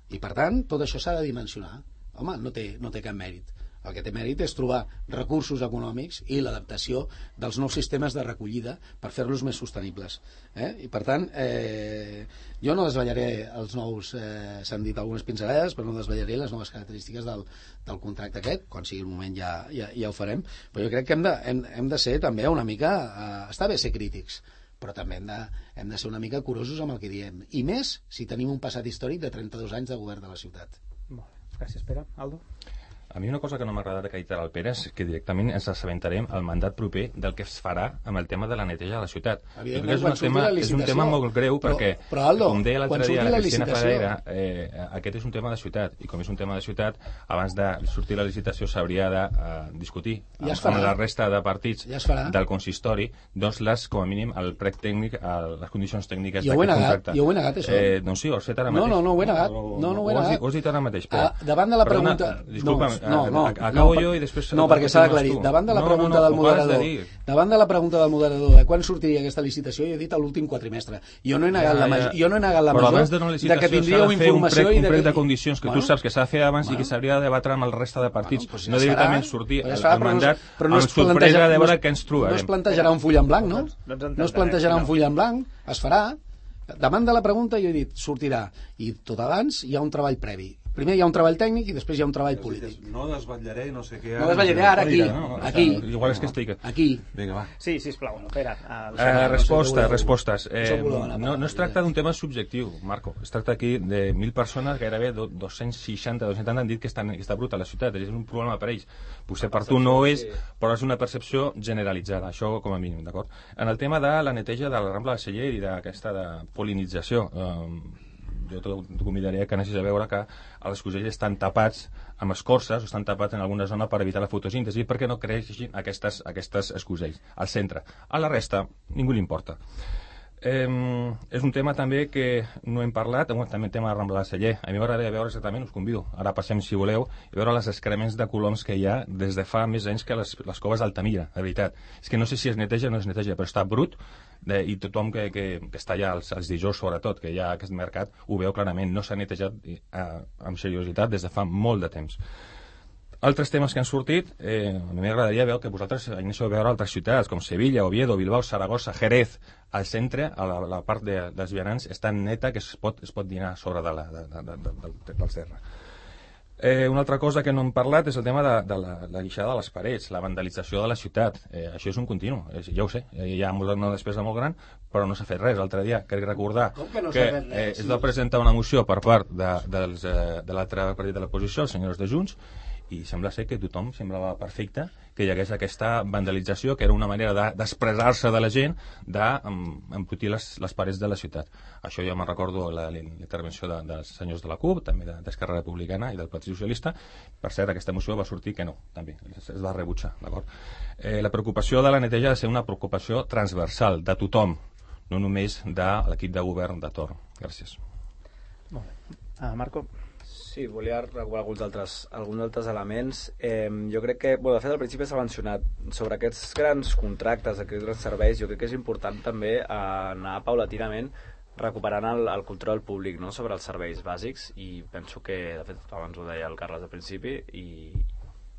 I, per tant, tot això s'ha de dimensionar. Home, no té, no té cap mèrit. El que té mèrit és trobar recursos econòmics i l'adaptació dels nous sistemes de recollida per fer-los més sostenibles. Eh? I, per tant, eh, jo no desvetllaré els nous, eh, s'han dit algunes pinzellades, però no desvetllaré les noves característiques del, del contracte aquest. Quan sigui el moment ja, ja, ja ho farem. Però jo crec que hem de, hem, hem de ser també una mica... Eh, està bé ser crítics, però també hem de, hem de ser una mica curosos amb el que diem. I més si tenim un passat històric de trenta-dos anys de govern de la ciutat. Molt bé. Gràcies, Pere. Aldo? A mi una cosa que no m'ha agradat acreditar al Pere és que directament ens assabentarem al mandat proper del que es farà amb el tema de la neteja de la ciutat. És un, tema, és un tema molt greu però, perquè, però, Aldo, com deia l'altre dia la, la Cristina Fradera, eh, aquest és un tema de ciutat, i com és un tema de ciutat, abans de sortir la licitació s'hauria de uh, discutir ja amb, amb la resta de partits ja del consistori, doncs les, com a mínim, el prec tècnic, el, les condicions tècniques d'aquest contracte. Jo ho he negat, això. Eh, doncs sí, ho has fet ara mateix. No, no, no ho he negat. No, no ho he negat. Ho has dit ara mateix. Ah, davant de la pregunta... Disculpa'm, no, no, acabo jo i després... No, perquè s'ha d'aclarir. Davant de la pregunta del moderador, davant de la pregunta del moderador de quan sortiria aquesta licitació, jo he dit l'últim quatrimestre. Jo no he negat la major, jo no he negat la major de que tindríeu informació i de un prec de condicions que tu saps que s'ha de fer abans i que s'hauria de debatre amb el resta de partits. No directament sortir el mandat amb sorpresa de veure què ens trobarem. No es plantejarà un full en blanc, no? No es plantejarà un full en blanc, es farà. Davant de la pregunta jo he dit, sortirà. I tot abans hi ha un treball previ. Primer hi ha un treball tècnic i després hi ha un treball polític. No desvetllaré no sé què... No desvetllaré ara, aquí. Aquí. Igual és que estic... Aquí. Vinga, va. Sí, sisplau. Espera. Eh, resposta, respostes. Eh, no, no es tracta d'un tema subjectiu, Marco. Es tracta aquí de mil persones, gairebé dos-cents seixanta, dos-cents setanta han dit que, estan, que està bruta la ciutat. És un problema per ells. Potser per tu no ho és, però és una percepció generalitzada. Això com a mínim, d'acord? En el tema de la neteja de la Rambla de Celler i d'aquesta de polinització... Eh, jo t'ho convidaria que anessis a veure que els cosells estan tapats amb escorces o estan tapats en alguna zona per evitar la fotosíntesi perquè no creixin aquestes, aquestes escosells al centre. A la resta, ningú li importa. Eh, és un tema també que no hem parlat, també el tema de Rambla de Celler. A mi m'agradaria veure exactament, us convido, ara passem si voleu, i veure les excrements de coloms que hi ha des de fa més anys que les, les coves d'Altamira, de veritat. És que no sé si es neteja o no es neteja, però està brut, de, i tothom que, que, que està allà, els, els dijous sobretot, que hi ha aquest mercat, ho veu clarament, no s'ha netejat eh, amb seriositat des de fa molt de temps. Altres temes que han sortit, eh, a mi m'agradaria veure que vosaltres aneu a veure altres ciutats, com Sevilla, Oviedo, Bilbao, Saragossa, Jerez, al centre, a la, la part de, dels vianants, és tan neta que es pot, es pot dinar a sobre de la, de, de, de, de, de, del terra. Eh, una altra cosa que no hem parlat és el tema de, de la, la guixada de les parets, la vandalització de la ciutat. Eh, això és un continu, és, ja ho sé, hi ha una despesa molt gran, però no s'ha fet res. L'altre dia, crec recordar que, no que eh, es va presentar una moció per part de, dels, eh, de l'altre partit de l'oposició, els senyors de Junts, i sembla ser que tothom semblava perfecte que hi hagués aquesta vandalització, que era una manera d'expressar-se de, de la gent d'embrutir les, les parets de la ciutat. Això jo me'n recordo la, la intervenció de, dels senyors de la CUP, també d'Esquerra Republicana i del Partit Socialista. Per cert, aquesta moció va sortir que no, també, es, es va rebutjar, d'acord? Eh, la preocupació de la neteja ha de ser una preocupació transversal, de tothom, no només de l'equip de govern de torn. Gràcies. Molt bé. Uh, Marco? Sí, volia regular alguns altres, alguns altres elements. Eh, jo crec que, bueno, de fet, al principi s'ha mencionat sobre aquests grans contractes, aquests grans serveis, jo crec que és important també anar paulatinament recuperant el, el control públic, no?, sobre els serveis bàsics, i penso que, de fet, abans ho deia el Carles al principi, i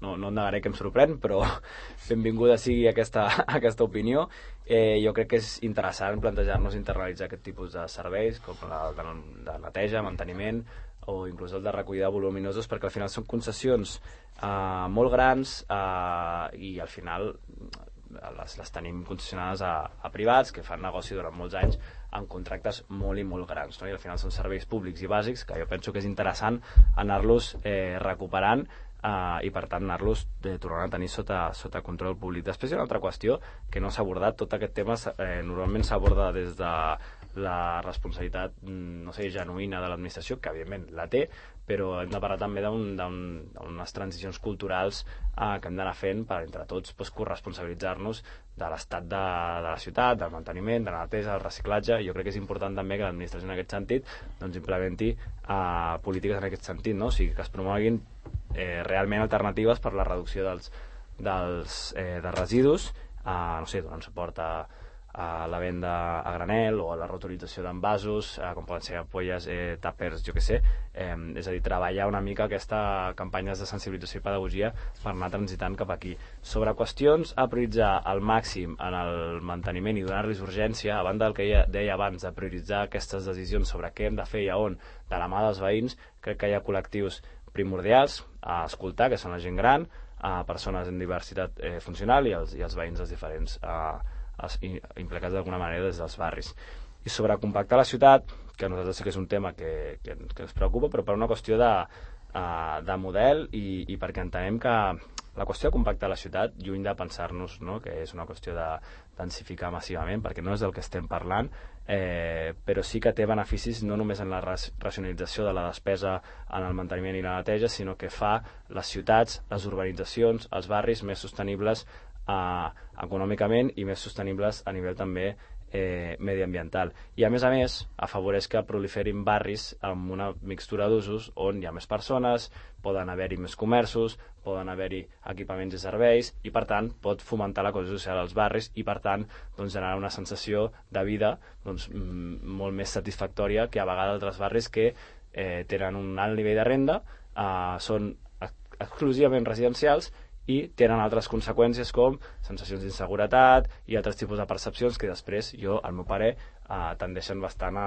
no, no et negaré que em sorprèn, però benvinguda sigui aquesta, aquesta opinió. Eh, jo crec que és interessant plantejar-nos internalitzar aquest tipus de serveis, com la de, de neteja, manteniment, o inclús el de recollida de voluminosos, perquè al final són concessions eh, molt grans eh, i al final les, les tenim concessionades a, a privats que fan negoci durant molts anys amb contractes molt i molt grans, no? I al final són serveis públics i bàsics que jo penso que és interessant anar-los eh, recuperant eh, i per tant anar-los eh, tornant a tenir sota, sota control públic. Després hi ha una altra qüestió que no s'ha abordat. Tot aquest tema eh, normalment s'aborda des de la responsabilitat, no sé, genuïna de l'administració, que evidentment la té, però hem de parlar també d'unes transicions culturals eh, que hem d'anar fent per entre tots pues, corresponsabilitzar-nos de l'estat de, de la ciutat, del manteniment, de la neteja, del reciclatge. Jo crec que és important també que l'administració en aquest sentit doncs, implementi eh, polítiques en aquest sentit, no? O sigui, que es promoguin eh, realment alternatives per la reducció dels, dels eh, de residus, eh, no sé, donant suport a a la venda a granel o a la reutilització d'envasos, eh, com poden ser ampolles, eh, tàpers, jo què sé, eh, és a dir, treballar una mica aquesta campanyes de sensibilització i pedagogia per anar transitant cap aquí. Sobre qüestions a prioritzar al màxim en el manteniment i donar-los urgència, a banda del que ja deia abans, de prioritzar aquestes decisions sobre què hem de fer i a on, de la mà dels veïns, crec que hi ha col·lectius primordials a escoltar, que són la gent gran, a persones en diversitat eh, funcional i els, i els veïns dels diferents eh, implicats d'alguna manera des dels barris. I sobre compactar la ciutat, que a nosaltres sí que és un tema que, que, que ens preocupa, però per una qüestió de, uh, de model i, i perquè entenem que la qüestió de compactar la ciutat, lluny de pensar-nos, no?, que és una qüestió de densificar massivament, perquè no és del que estem parlant, eh, però sí que té beneficis no només en la racionalització de la despesa en el manteniment i la neteja, sinó que fa les ciutats, les urbanitzacions, els barris més sostenibles Uh, econòmicament i més sostenibles a nivell també eh, mediambiental. I a més a més afavoreix que proliferin barris amb una mixtura d'usos on hi ha més persones, poden haver-hi més comerços, poden haver-hi equipaments i serveis i per tant pot fomentar la cohesió social als barris i per tant doncs, generar una sensació de vida doncs, molt més satisfactòria que a vegades altres barris que eh, tenen un alt nivell de renda, eh, són exclusivament residencials i tenen altres conseqüències com sensacions d'inseguretat i altres tipus de percepcions que després, jo, al meu parer, eh, tendeixen bastant a,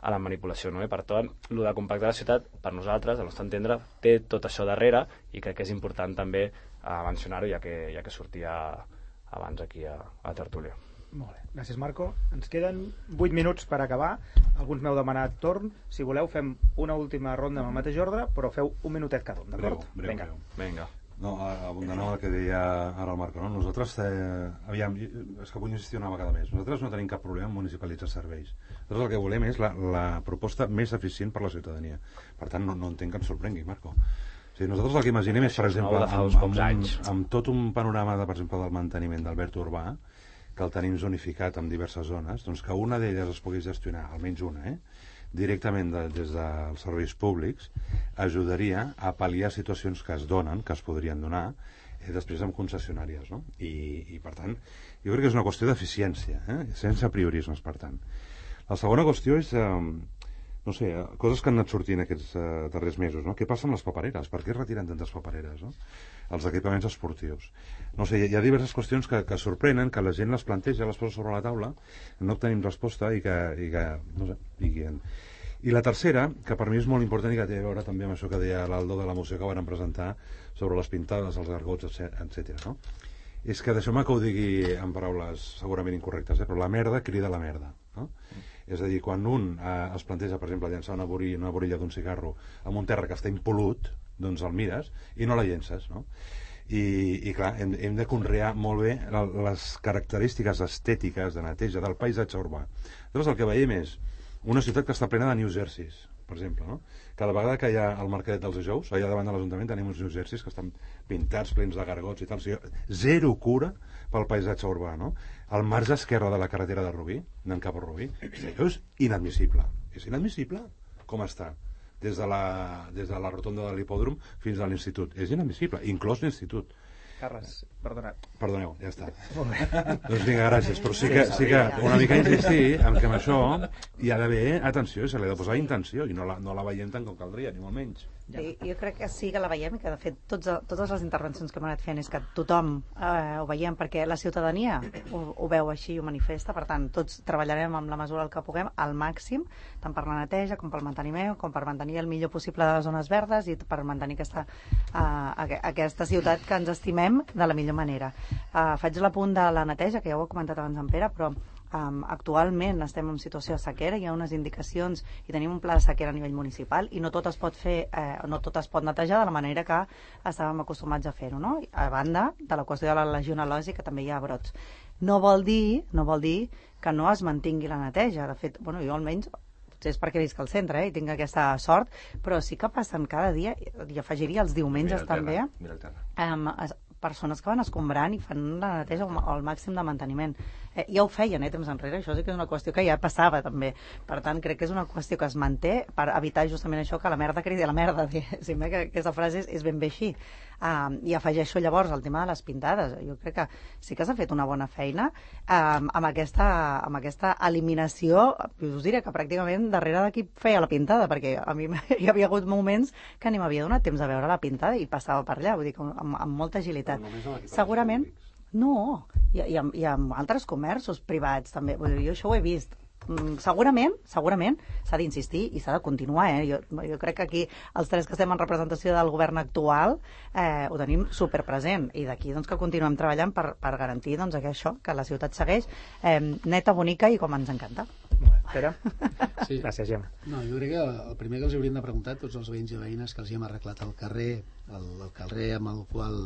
a la manipulació, no? I per tant, el de compactar la ciutat, per nosaltres, al nostre entendre, té tot això darrere i crec que és important també eh, mencionar-ho, ja que, ja que sortia abans aquí a, a tertúlia. Molt bé, gràcies Marco. Ens queden vuit minuts per acabar. Alguns m'heu demanat torn. Si voleu fem una última ronda amb el mateix ordre, però feu un minutet cada un, d'acord? Breu, breu, Vinga. breu. Vinga. No, abundant el que deia ara el Marco, no? Nosaltres, eh, aviam, és que vull insistir una vegada més, nosaltres no tenim cap problema en municipalitzar serveis. Nosaltres el que volem és la, la proposta més eficient per la ciutadania. Per tant, no, no entenc que ens sorprengui, Marco. O sigui, nosaltres el que imaginem és, per exemple, amb, amb, amb, amb tot un panorama, de, per exemple, del manteniment del verd urbà, que el tenim zonificat en diverses zones, doncs que una d'elles es pugui gestionar, almenys una, eh? directament de, des dels serveis públics, ajudaria a pal·liar situacions que es donen, que es podrien donar, eh, després amb concessionàries, no? I, i per tant, jo crec que és una qüestió d'eficiència, eh? sense priorismes, per tant. La segona qüestió és, eh, no sé, coses que han anat sortint aquests eh, darrers mesos, no? Què passa amb les papereres? Per què es retiren tantes papereres, no? Els equipaments esportius. No sé, hi ha diverses qüestions que, que sorprenen, que la gent les planteja, les posa sobre la taula, no obtenim resposta i que, i que no sé, i que... I la tercera, que per mi és molt important i que té a veure també amb això que deia l'Aldo de la moció que van presentar sobre les pintades, els gargots, etcètera, no? És que deixeu-me que ho digui en paraules segurament incorrectes, eh? Però la merda crida la merda, no? Mm. És a dir, quan un eh, es planteja, per exemple, llençar una, borilla, una borilla d'un cigarro amb un terra que està impolut, doncs el mires i no la llences, no? I, i clar, hem, hem de conrear molt bé les característiques estètiques de neteja del paisatge urbà. Llavors el que veiem és una ciutat que està plena de New Jerseys, per exemple, no? Cada vegada que hi ha el mercadet dels dijous, allà davant de l'Ajuntament tenim uns New Jerseys que estan pintats, plens de gargots i tal. O sigui, zero cura pel paisatge urbà, no? Al marge esquerre de la carretera de Rubí, anant cap a Rubí, és inadmissible. És inadmissible com està. Des de la, des de la rotonda de l'hipòdrom fins a l'institut. És inadmissible, inclòs l'institut. Carles, perdona. Perdoneu, ja està. Doncs vinga, gràcies. Però sí que, sí que una mica insistir en que amb això hi ha d'haver atenció i se li ha de posar intenció i no la, no la veiem tant com caldria, ni molt menys. Sí, jo crec que sí que la veiem i que de fet tots, totes les intervencions que hem anat fent és que tothom eh, ho veiem perquè la ciutadania ho, ho veu així i ho manifesta, per tant tots treballarem amb la mesura del que puguem al màxim, tant per la neteja com pel manteniment, com per mantenir el millor possible de les zones verdes i per mantenir aquesta, eh, aquesta ciutat que ens estimem de la millor manera. Eh, faig l'apunt de la neteja, que ja ho ha comentat abans en Pere, però Um, actualment estem en situació de sequera, hi ha unes indicacions i tenim un pla de sequera a nivell municipal i no tot es pot fer, eh, no tot es pot netejar de la manera que estàvem acostumats a fer-ho, no? A banda de la qüestió de la legionel·losi, que també hi ha brots. No vol dir, no vol dir que no es mantingui la neteja. De fet, bueno, jo almenys potser és perquè visc al centre eh, i tinc aquesta sort, però sí que passen cada dia, i afegiria els diumenges també, um, persones que van escombrant i fan la neteja al màxim de manteniment. Eh, ja ho feien, eh, temps enrere, això sí que és una qüestió que ja passava també. Per tant, crec que és una qüestió que es manté per evitar justament això, que la merda cridi a la merda, diguéssim, eh, que aquesta frase és, és ben bé així. Um, I afegeixo llavors el tema de les pintades. Jo crec que sí que s'ha fet una bona feina um, amb, aquesta, amb aquesta eliminació, us diré que pràcticament darrere de qui feia la pintada, perquè a mi hi havia hagut moments que ni m'havia donat temps de veure la pintada i passava per allà, vull dir, amb, amb molta agilitat. Segurament, no, i, i, amb, i amb altres comerços privats també, vull dir, jo això ho he vist. Segurament, segurament s'ha d'insistir i s'ha de continuar, eh? jo, jo crec que aquí els tres que estem en representació del govern actual eh, ho tenim superpresent i d'aquí doncs, que continuem treballant per, per garantir doncs, que això, que la ciutat segueix eh, neta, bonica i com ens encanta. Pere? Sí. Gràcies, Gemma. No, jo crec que el primer que els hauríem de preguntar a tots els veïns i veïnes que els hi hem arreglat el carrer, el, el carrer amb el qual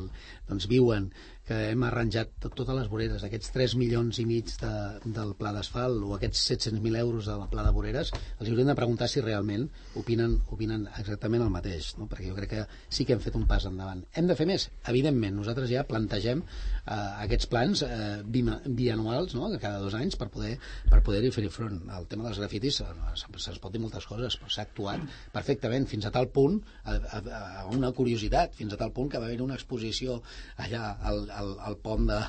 doncs, viuen, que hem arranjat tot, totes les voreres, aquests tres milions i mig de, del pla d'asfalt o aquests set-cents mil euros del pla de voreres, els hauríem de preguntar si realment opinen, opinen exactament el mateix, no? Perquè jo crec que sí que hem fet un pas endavant. Hem de fer més? Evidentment, nosaltres ja plantegem eh, aquests plans eh, bianuals, no? Cada dos anys per poder per poder-hi fer-hi front. El tema dels grafitis se'ns pot dir moltes coses, però s'ha actuat perfectament, fins a tal punt, a, a, a una curiositat, fins a tal punt que va haver una exposició allà al, al, al pont de,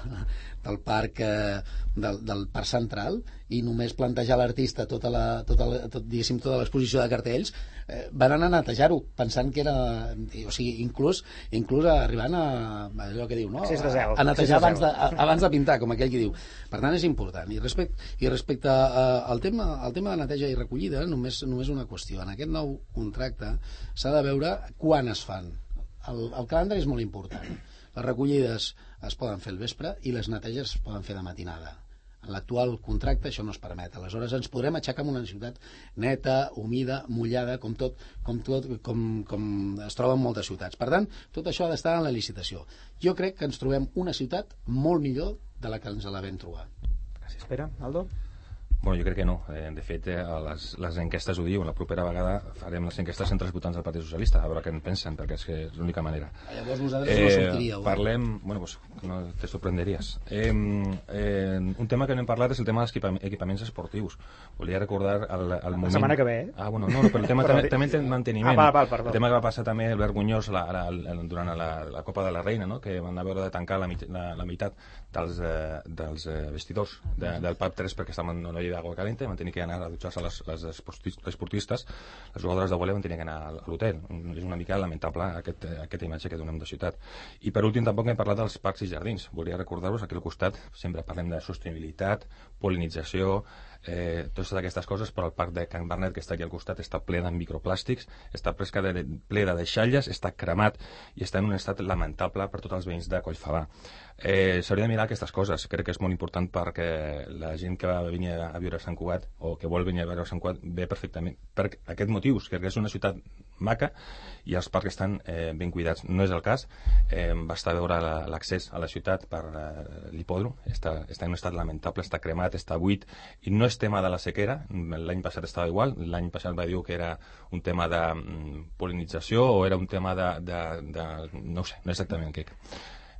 del parc eh, del, del parc central i només plantejar l'artista tota la, tota la, tot, diguéssim, tota l'exposició de cartells eh, van anar a netejar-ho pensant que era, o sigui, inclús inclús arribant a allò que diu, no? a, a netejar abans de, a, abans de pintar, com aquell que diu. Per tant, és important. I respecte, i respecte a, al, tema, al tema de neteja i recollida, només, només una qüestió. En aquest nou contracte s'ha de veure quan es fan. El, el calendari és molt important. Les recollides es poden fer al vespre i les neteges es poden fer de matinada. En l'actual contracte això no es permet. Aleshores ens podrem aixecar amb una ciutat neta, humida, mullada, com tot, com, tot, com, com es troba en moltes ciutats. Per tant, tot això ha d'estar en la licitació. Jo crec que ens trobem una ciutat molt millor de la que ens la vam trobar. Gràcies, Pere. Aldo? Bueno, jo crec que no. Eh, de fet, eh, les, les enquestes ho diuen. La propera vegada farem les enquestes entre els votants del Partit Socialista, a veure què en pensen, perquè és, que és l'única manera. Llavors vosaltres no sortiríeu. Eh, parlem... Bueno, pues, no te sorprenderies. Eh, eh, un tema que no hem parlat és el tema dels equipaments esportius. Volia recordar el, el moment... La setmana que ve, eh? Ah, bueno, no, no però el tema també, també en manteniment. Ah, val, val, perdó. El tema que va passar també el Vergonyós la, la, la, durant la, la Copa de la Reina, no? Que van haver de tancar la, la, la meitat dels, eh, dels eh, vestidors de, del P A P tres perquè estaven en una llei d'agua calenta, van tenir que anar a dutxar-se les, les esportistes, les jugadores de vòlei van tenir que anar a l'hotel. És una mica lamentable aquest, aquesta imatge que donem de ciutat. I per últim tampoc hem parlat dels parcs i jardins. Volia recordar-vos, aquí al costat sempre parlem de sostenibilitat, polinització, eh, totes aquestes coses, però el parc de Can Barnet, que està aquí al costat, està ple de microplàstics, està de, ple de deixalles, està cremat i està en un estat lamentable per tots els veïns de Collfabà. Eh, S'hauria de mirar aquestes coses. Crec que és molt important perquè la gent que va venir a viure a Sant Cugat o que vol venir a viure a Sant Cugat ve perfectament per aquests motius, que és una ciutat maca i els parcs estan eh, ben cuidats. No és el cas. Eh, basta veure l'accés a la ciutat per eh, l'hipòdrom. Està, està en un estat lamentable, està cremat, està buit i no és tema de la sequera. L'any passat estava igual. L'any passat va dir que era un tema de mm, polinització o era un tema de, de, de... no ho sé, no exactament què.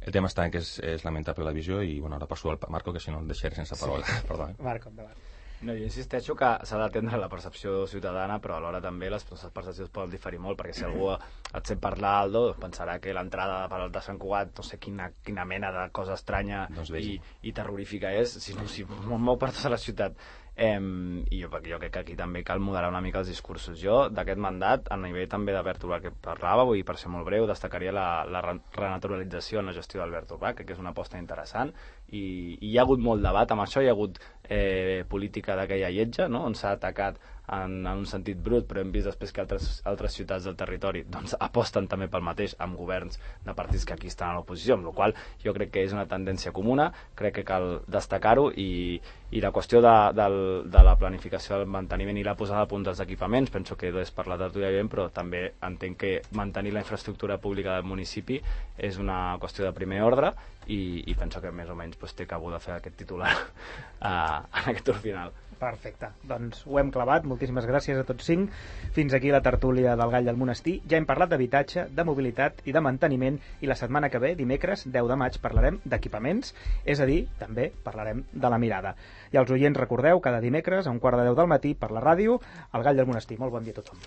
El tema està en que és, és lamentable la visió i bueno, ara passo al Marco, que si no el deixaré sense paraula. Sí. Perdó. Eh? Marco, endavant. No, jo insisteixo que s'ha d'atendre la percepció ciutadana, però alhora també les percepcions poden diferir molt, perquè si algú et sent parlar, Aldo, pensarà que l'entrada per al de Sant Cugat, no sé quina, quina mena de cosa estranya doncs i, i terrorífica és, sinó si mou per tota la ciutat. Eh, I jo, jo crec que aquí també cal moderar una mica els discursos. Jo, d'aquest mandat, a nivell també d'Albert Urbà que parlava, vull dir, per ser molt breu, destacaria la, la renaturalització en la gestió d'Albert Urbà, que és una aposta interessant, i, i hi ha hagut molt debat amb això, hi ha hagut eh, política d'aquella lletja, no?, on s'ha atacat en, en un sentit brut, però hem vist després que altres, altres ciutats del territori doncs, aposten també pel mateix amb governs de partits que aquí estan a l'oposició, amb la qual jo crec que és una tendència comuna, crec que cal destacar-ho, i, i la qüestió de, de, de la planificació del manteniment i la posada a punt dels equipaments, penso que és parlat arturiament, però també entenc que mantenir la infraestructura pública del municipi és una qüestió de primer ordre, i, i penso que més o menys pues, té cabuda fer aquest titular uh, en aquest torn final. Perfecte, doncs ho hem clavat, moltíssimes gràcies a tots cinc. Fins aquí la tertúlia del Gall del Monestir. Ja hem parlat d'habitatge, de mobilitat i de manteniment, i la setmana que ve, dimecres deu de maig, parlarem d'equipaments, és a dir, també parlarem de la mirada. I als oients recordeu, cada dimecres a un quart de deu del matí per la ràdio, el Gall del Monestir. Molt bon dia a tothom.